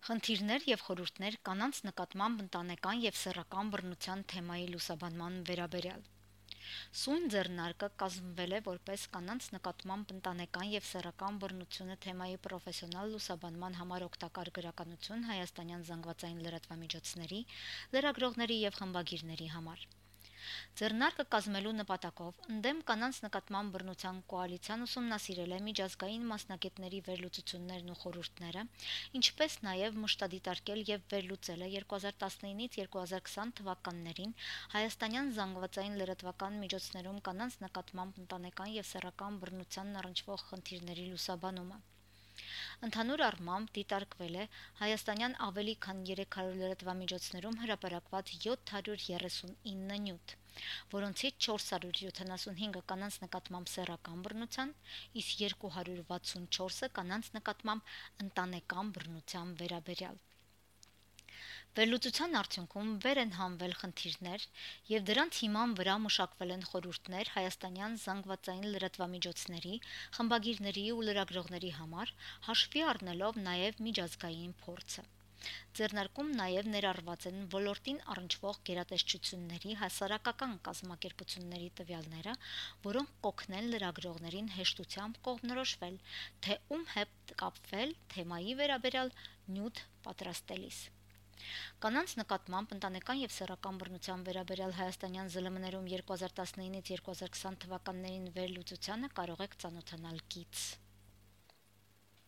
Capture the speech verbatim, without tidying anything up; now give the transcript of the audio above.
Խնդիրներ եւ խորհուրդներ կանանց նկատմամբ ընտանեկան եւ սեռական բռնության թեմայի լուսաբանման վերաբերյալ։ Սույն ձեռնարկը կազմվել է որպես կանանց նկատմամբ ընտանեկան եւ սեռական բռնությունը թեմայի պրոֆեսիոնալ լուսաբանման համար օգտակար գրականություն հայաստանյան զանգվածային լրատվամիջոցների, լրագրողների եւ խմբագիրների համար։ Ձեռնարկը կազմելու նպատակով ընդդեմ կանանց նկատմամբ բռնության կոալիցիան ուսումնասիրել է միջազգային մասնագետների վերլուծություններն ու խորհուրդները, ինչպես նաև մշտադիտարկել եւ վերլուծել է երկու հազար տասնինից երկու հազար քսան թվականներին հայաստանյան զանգվածային լրատվական միջոցներում կանանց նկատմամբ ընտանեկան եւ սեռական բռնությանն առնչվող խնդիրների լուսաբանումը։ Ընդհանուր առմամբ դիտարկվել է հայաստանյան ավելի քան երեք հարյուր լրատվամիջոցներում հրապարակված յոթ հարյուր երեսունինը նյութ, որոնցից չորս հարյուր յոթանասունհինգը կանանց նկատմամբ սեռական բռնության, իսկ երկու հարյուր վաթսունչորսը կանանց նկատմամբ ընտանեկան բռնության վերաբերյալ։ Վերլուծության արդյունքում վեր են հանվել խնդիրներ եւ դրանց հիման վրա մշակվել են խորհուրդներ հայաստանյան զանգվածային լրատվամիջոցների, խմբագիրների ու լրագրողների համար, հաշվի առնելով նաեւ միջազգային փորձը։ Ձեռնարկում նաեւ ներառված են ոլորտին առնչվող գերատեսչությունների, հասարակական կազմակերպությունների տվյալները, որոնք կօգնեն լրագրողներին հեշտությամբ կողմնորոշվել, թե ում հետ կապվել թեմայի վերաբերյալ նյութ պատրաստելիս։ Կանանց նկատմամբ ընտանեկան եւ սեռական բռնության վերաբերյալ հայաստանյան ԶԼՄ-ներում երկու հազար տասնինից երկու հազար քսան թվականներին վերլուծությանը կարող եք ծանոթանալ գիծ։